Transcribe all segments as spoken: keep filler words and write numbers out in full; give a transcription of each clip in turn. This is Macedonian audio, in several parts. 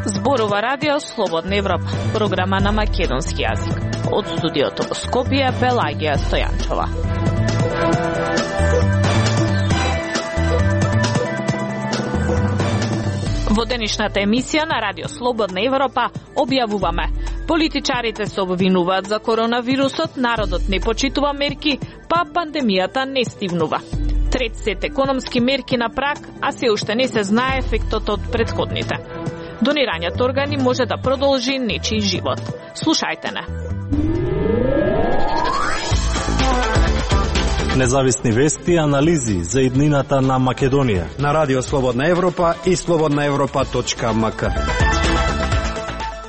Зборува Радио Слободна Европа, програма на македонски јазик. Од студиото во Скопје, Пелагија Стојанчова. Во денешната емисија на Радио Слободна Европа објавуваме: политичарите се обвинуваат за коронавирусот, народот не почитува мерки, па пандемијата не стивнува. Трет сет економски мерки на прак, а се уште не се знае ефектот од претходните. Донирањето органи може да продолжи нечиј живот. Слушајте не. Независни вести и анализи за иднината на Македонија на Радио Слободна Европа и слободна европа точка ем ка.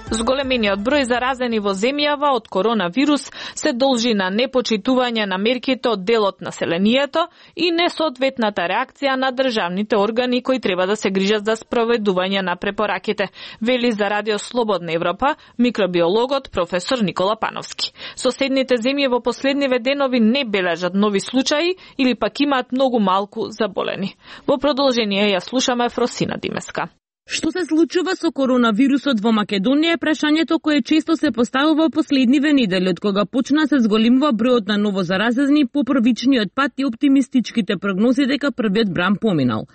Зголемениот број заразени во земјава од коронавирус се должи на непочитување на мерките од дел од населението и несоодветната реакција на државните органи кои треба да се грижат за спроведување на препораките, вели за Радио Слободна Европа микробиологот професор Никола Пановски. Соседните земји во последниве денови не бележат нови случаи или пак имаат многу малку заболени. Во продолжение ја слушаме Фросина Димеска. Што се случува со коронавирусот во Македонија е прашањето кое често се поставува последниве недели, од кога почна се зголемува бројот на новозаразени по првичниот пат и оптимистичките прогнози дека првиот бран поминал.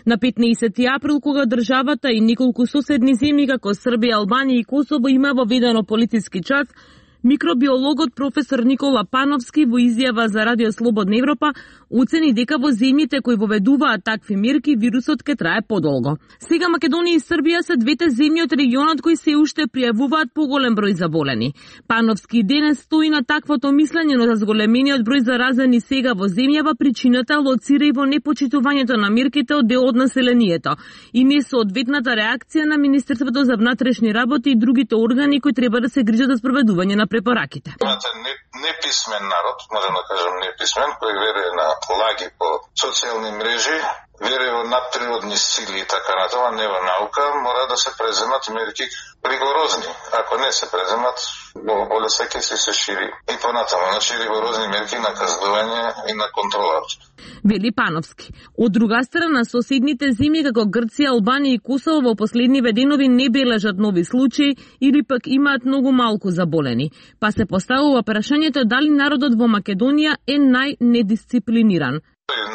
На петнаесети април, кога државата и неколку соседни земји како Србија, Албанија и Косово има воведено полициски час, микробиологот професор Никола Пановски во изјава за Радио Слободна Европа оцени дека во земјите кои воведуваат такви мерки вирусот ќе трае подолго. Сега Македонија и Србија се двете земји од регионот кои се уште пријавуваат поголем број заболени. Пановски денес стои на таквото мислење, но за зголемениот број заразени сега во земјава причината лоцира и во непочитувањето на мерките од дел од населението и несоодветната реакција на Министерството за внатрешни работи и другите органи кои треба да се грижат за спроведување на препораките. Имате неписмен народ, можем да кажем неписмен, кој верuje на лаги по социјални мрежи, верuje во надприродни сили и така натаму, не во наука, мора да се преземат мерки ригорозни. Ако не се преземат, болеста ќе се шири и понатаму, значи ригорозни мерки на казнување и на контрола. Вели Пановски. Од друга страна, соседните земји како Грција, Албанија и Косово во последниве денови не бележат нови случаи или пак имаат многу малку заболени. Па се поставува прашањето дали народот во Македонија е најнедисциплиниран.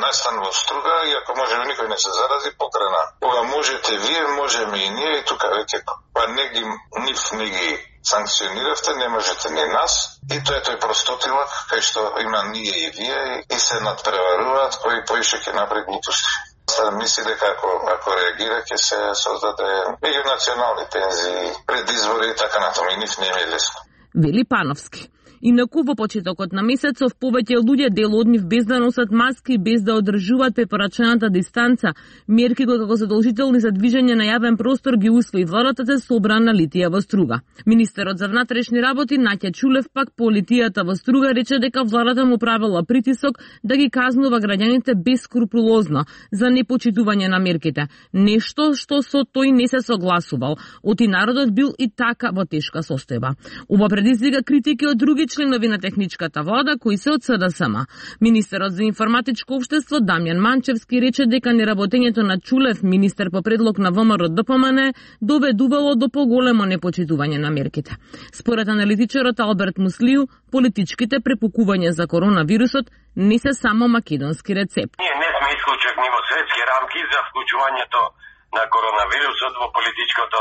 Настан во струга и ако може никој не се зарази, покрана. Кога можете вие, можеме и ние и тука веќе па не ги нив не ги санкциониравте, не можете ни нас. И тоа е тој простотилак кај што има ние и вие и се надпреваруваат кои поише ќе направи глупости. Сад мисли дека ако, ако реагира ќе се создаде меѓунационални тензии, предизбори и така натаму и нив не е лесно. Вели Пановски. Инаку во почетокот на месецов повеќе луѓе дел од нив без да носат маски, без да одржуваат препорачаната дистанца, мерки кои како задолжителни за движење на јавен простор ги усвои владата, се собра на литија во Струга. Министерот за внатрешни работи Наќа Чулев пак по литијата во Струга рече дека владата му правила притисок да ги казнува граѓаните бескрупулозно за непочитување на мерките, нешто што со тој не се согласувал. Оти народот бил и така во тешка состојба. Ова предизвика критики од други членови на техничката влада кои се од С Д С М. Министерот за информатичко општество Дамјан Манчевски рече дека неработењето на Чулев, министер по предлог на В М Р Д П М Н, доведувало до поголемо непочитување на мерките. Според аналитичарот Алберт Муслију, политичките препукувања за коронавирусот не се само македонски рецепт. Ние не сме исклучени во светски рамки за вклучувањето на коронавирусот во политичкото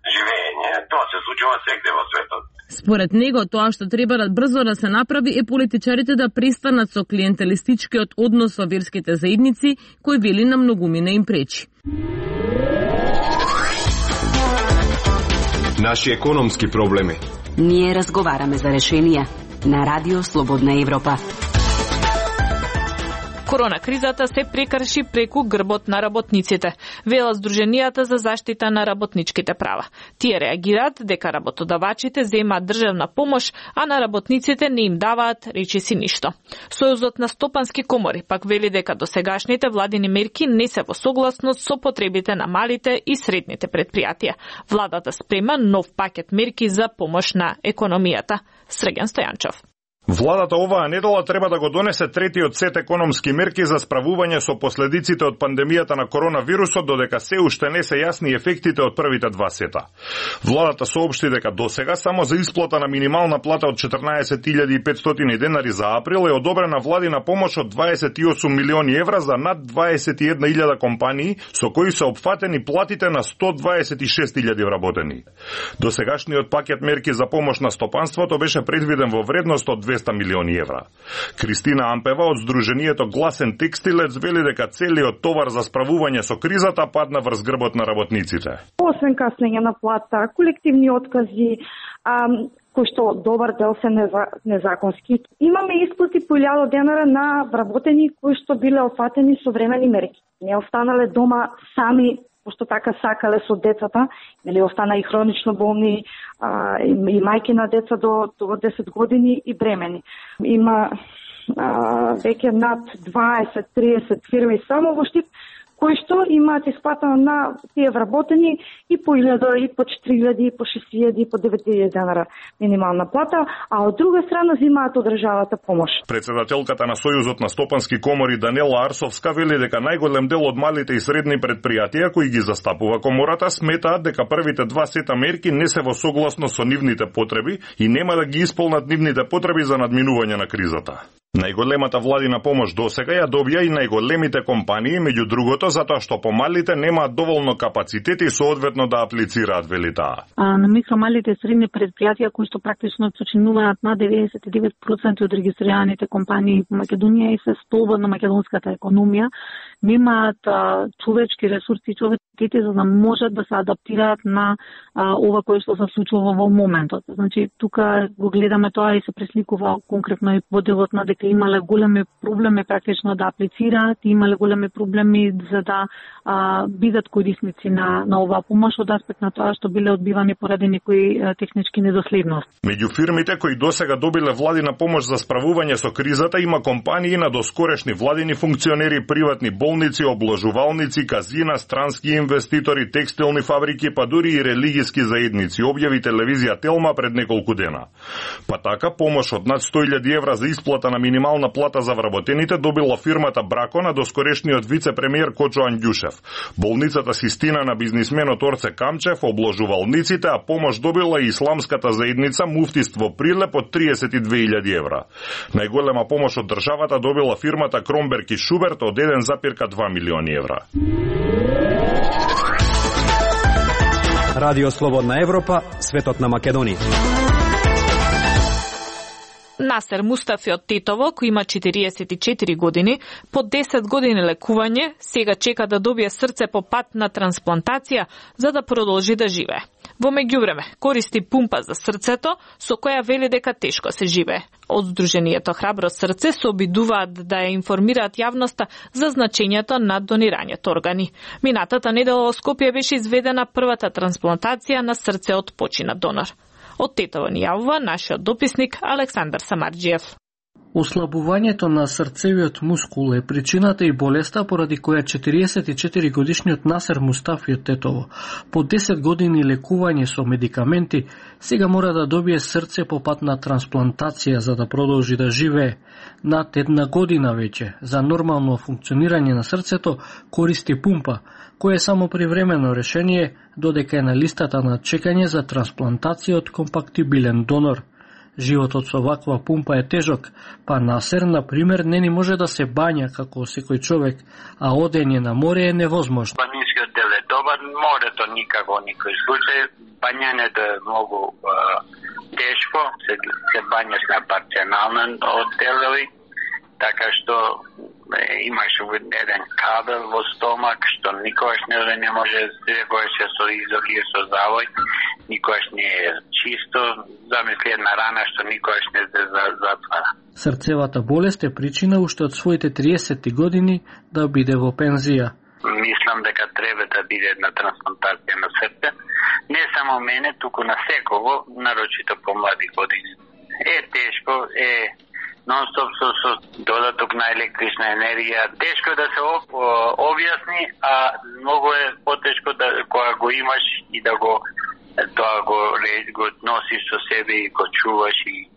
живење. Тоа се случува сегде во светот. Според него, тоа што треба да брзо да се направи е политичарите да престанат со клиентелистичкиот однос со верските заедници, кој вели на многумина им пречи. Наши економски проблеми. Ние разговараме за решенија на Радио Слободна Европа. Корона кризата се прекрши преку грбот на работниците, вела Сдруженијата за заштита на работничките права. Тие реагираат дека работодавачите земаат државна помош, а на работниците не им даваат речиси ништо. Сојузот на стопански комори пак вели дека досегашните владини мерки не се во согласност со потребите на малите и средните предпријатија. Владата спрема нов пакет мерки за помош на економијата. Срген Стојанчов. Во Владата оваа недела треба да го донесе третиот сет економски мерки за справување со последиците од пандемијата на коронавирусот, додека се уште не се јасни ефектите од првите два сета. Владата соопшти дека досега само за исплата на минимална плата од четрнаесет илјади и петстотини денари за април е одобрена владина помош од дваесет и осум милиони евра за над дваесет и една илјада компании, со кои се опфатени платите на сто дваесет и шест илјади вработени. Досегашниот пакет мерки за помош на стопанството беше предвиден во вредност од двеста милиони евра. Кристина Ампева од Сдруженијето Гласен текстилец вели дека целиот товар за справување со кризата падна врз грбот на работниците. Освен каснење на плата, колективни откази, ам, кои што добар дел се незаконски. Имаме исплати по илјада денара на вработени кои што биле опфатени со времени мерки. Не останале дома сами, пошто така сакале со децата, нели остана и хронично болни, а, и, и мајки на деца до, до десет години и бремени. Има а, веќе над дваесет до триесет фирми само во Штип, кои што имаат исплатено на тие вработени и по илјада, и по четири илјади, и по шест илјади, и по девет илјади денара минимална плата, а од друга страна земаат од државата помош. Председателката на Сојузот на стопански комори Данела Арсовска вели дека најголем дел од малите и средни предпријатија кои ги застапува комората сметаат дека првите два сета мерки не се во согласност со нивните потреби и нема да ги исполнат нивните потреби за надминување на кризата. Најголемата владина помош досега ја добија и најголемите компании, меѓу другото затоа што помалите немаат доволно капацитет и соодветно да аплицираат, вели таа. А на микро, малите и средни предпријатија кои што практично сочинуваат на деветдесет и девет проценти од регистрираните компании во Македонија и се столбот на македонската економија, немаат а, човечки ресурси и човеците за да можат да се адаптираат на а, ова кое што се случува во моментот. Значи тука го гледаме тоа и се пресликува конкретно и во делот на дека имале големи проблеми практично да аплицираат, имале големи проблеми за да а, бидат корисници на, на оваа помош од аспект на тоа што биле одбивани поради некои а, технички недоследности. Меѓу фирмите кои досега добиле владина помош за справување со кризата има компании на доскорешни владини функционери, приватни болници, обложувалници, казина, странски инвеститори, текстилни фабрики, па дури и религиски заедници, објави телевизија Телма пред неколку дена. Па така помош од над сто илјади евра за исплата на минимална плата за вработените добила фирмата Брако на доскорешниот вице-премиер Кочо Андјушев, болницата Систина на бизнисменот Орце Камчев, обложувалниците, а помош добила и исламската заедница Муфтиство Прилеп од триесет и две илјади евра. Најголема помош од државата добила фирмата Кромберг и Шуберт од еден запирка два милиони евра. Радио Слободна Европа, светот на Македонија. Насер Мустафи од Тетово, кој има четириесет и четири години, по десет години лекување, сега чека да добие срце по пат на трансплантација за да продолжи да живее. Во меѓувреме, користи пумпа за срцето, со која вели дека тешко се живее. Од Сдруженијето Храбро срце се обидуваат да ја информираат јавноста за значењето на донирањето органи. Минатата недела во Скопје беше изведена првата трансплантација на срце од починат донор. Од Тетово ни јавува нашиот дописник Александар Самарџиев. Ослабувањето на срцевиот мускул е причината и болеста поради која четириесет и четири годишниот Насер Мустафи од Тетово, по десет години лекување со медикаменти, сега мора да добие срце по пат на трансплантација за да продолжи да живее. Над една година веќе, за нормално функционирање на срцето, користи пумпа, која е само привремено решение, додека е на листата на чекање за трансплантација од компактибилен донор. Животот со ваква пумпа е тежок, па Насер, на пример, не ни може да се бања како секој човек, а одење на море е невозможно. Планинскиот дел е добар, морето никако никој случај, бањането е многу е, тешко, се, се бањаш на парцијален одделови, така што е, имаш еден кабел во стомак, што никогаш не, не може, секогаш е со изохи, со завој, никогаш не е чисто, замисли една рана што никогаш не се затвара. Срцевата болест е причина уште од своите триесет години да биде во пензија. Мислам дека треба да биде една трансплантација на срце, не само мене, туку на секого, нарочито по млади години. Е тешко, е нон-стоп со, со додаток на електрична енергија, тешко да се објасни, а многу е потешко да кога го имаш и да го тоа го го носиш со себе и го чуваш и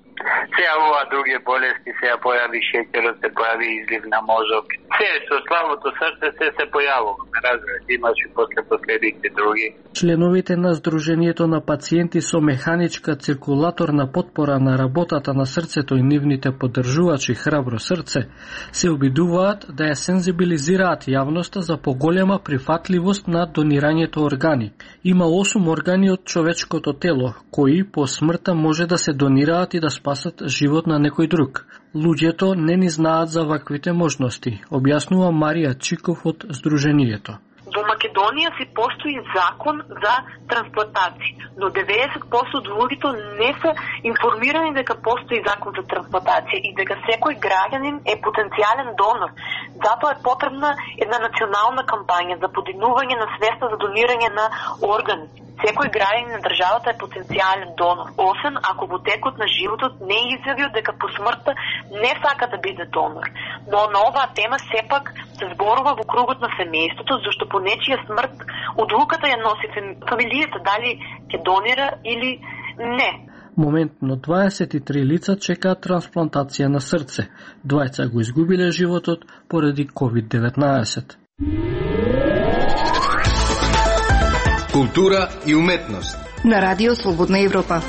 Сега ова други болести, сега појави шеќерот, се појави излив на мозок. Се со слабото срце се се појавува. Разбирате, имаш и после последици други. Членовите на Сдруженијето на пациенти со механичка циркулаторна потпора на работата на срцето и нивните поддржувачи Храбро срце се обидуваат да ја сензибилизираат јавноста за поголема прифатливост на донирањето органи. Има осум органи од човечкото тело, кои по смртта може да се донираат и да спасат живот на некој друг. Луѓето не ни знаат за ваквите можности, објаснува Марија Чиков од Сдруженијето. Во Македонија си постои закон за трансплантација, но деветдесет проценти од луѓето не се информирани дека постои закон за трансплантација и дека секој граѓанин е потенцијален донор. Затоа е потребна една национална кампања за подигнување на свеста за донирање на органи. Секој граѓанин на државата е потенцијален донор, освен ако во текот на животот не изјавил дека по смртта не сака да биде донор. Но на оваа тема сепак се зборува во кругот на семејството, зашто по нечија смрт одлуката ја носи фамилијата дали ќе донира или не. Моментно дваесет и три лица чекаат трансплантација на срце. Двајца го изгубиле животот поради ковид деветнаесет. Култура и уметност на Радио Слободна Европа.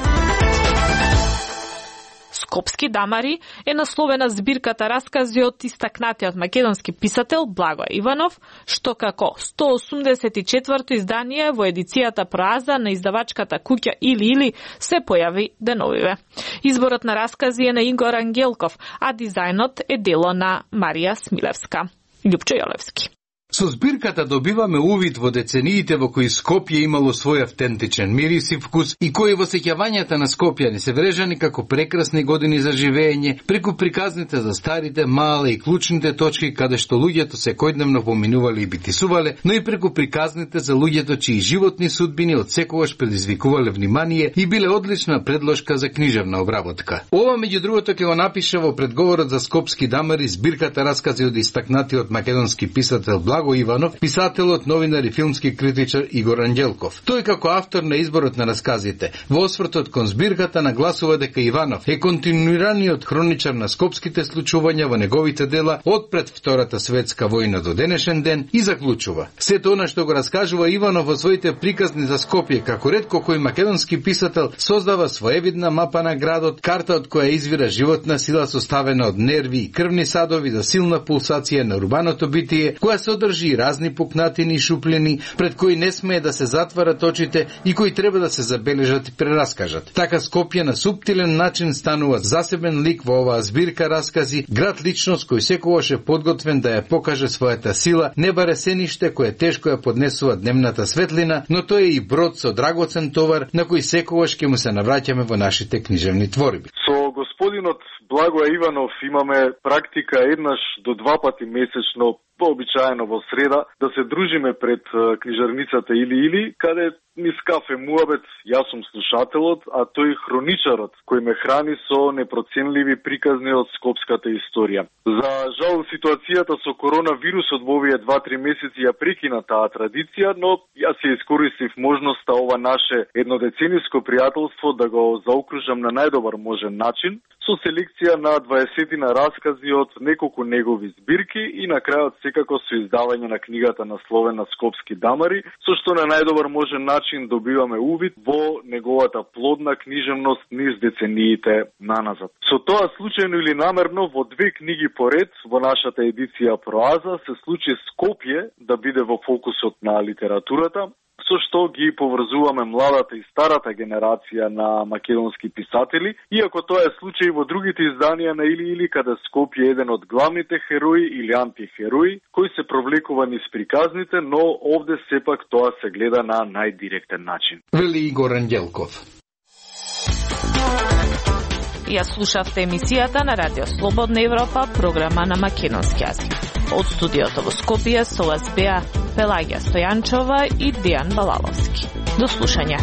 Скопски дамари е насловена збирката раскази од истакнатиот македонски писател Благој Иванов, што како сто осумдесет и четврто издание во едицијата Проаза на издавачката куќа Или Или се појави деновиве. Изборот на раскази е на Игор Ангелков, а дизајнот е дело на Марија Смилевска. Љупчо Јолевски. Со збирката добиваме увид во децениите во кои Скопје имало свој автентичен мирис и вкус и кои во сеќавањата на скопјани се врежани како прекрасни години за живење, преку приказните за старите, мале и клучните точки каде што луѓето секојдневно поминувале и битисувале, но и преку приказните за луѓето чии животни судбини од секогаш предизвикувале внимание и биле одлична предложка за книжевна обработка. Ова меѓу другото ќе го напише во предговорот за Скопски дамари збирката раскази од истакнатиот македонски писател Благој Иванов, писателот, новинар и филмски критичар Игор Анđелков. Тој како автор на изборот на расказите, во освртот кон збирката нагласува дека Иванов е континуираниот хроничар на скопските случувања во неговите дела од пред Втората светска војна до денешен ден и заклучува: сето она што го раскажува Иванов во своите приказни за Скопје, како ретко кој македонски писател создава своевидна мапа на градот, карта од која извира животна сила составена од нерви и крвни садови за силна пулсација на урбаното битие, која се одржи разни пукнатини и шуплени, пред кои не смее да се затварат очите и кои треба да се забележат и прераскажат. Така Скопје на суптилен начин станува засебен лик во оваа збирка раскази, град личност кој секогаш е подготвен да ја покаже својата сила, не баре сениште кое тешко ја поднесува дневната светлина, но тој е и брод со драгоцен товар на кој секогаш ќе му се навраќаме во нашите книжевни творби. Со господинот Благој Иванов имаме практика еднаш до два пати месечно, пообичаено во среда, да се дружиме пред книжарницата Или Или, каде низ кафе муабет, јас сум слушателот, а тој хроничарот, кој ме храни со непроценливи приказни од скопската историја. За жал, ситуацијата со коронавирусот во овие два-три месеци ја прекина таа традиција, но јас се искористив можноста ова наше еднодецениско пријателство да го заокружам на најдобар можен начин, со селекција на дваесетина раскази од неколку негови збирки и на крајот секако со издавање на книгата насловена Скопски дамари, со што на најдобар можен начин добиваме увид во неговата плодна книжевност низ децениите наназад. Со тоа случајно или намерно во две книги поред во нашата едиција Проаза се случи Скопје да биде во фокусот на литературата, со што ги поврзуваме младата и старата генерација на македонски писатели, иако тоа е случај во другите изданија на Или Или, каде Скопје е еден од главните херои или антихерои, кои се провлекува низ приказните, но овде сепак тоа се гледа на најдиректен начин. Вели Игор Анđелков. Ја слушавте емисијата на Радио Слободна Европа, програма на македонски јазик. Од студиото во Скопје со вас беа Пелагија Стојанчова и Дејан Балаловски. До слушање.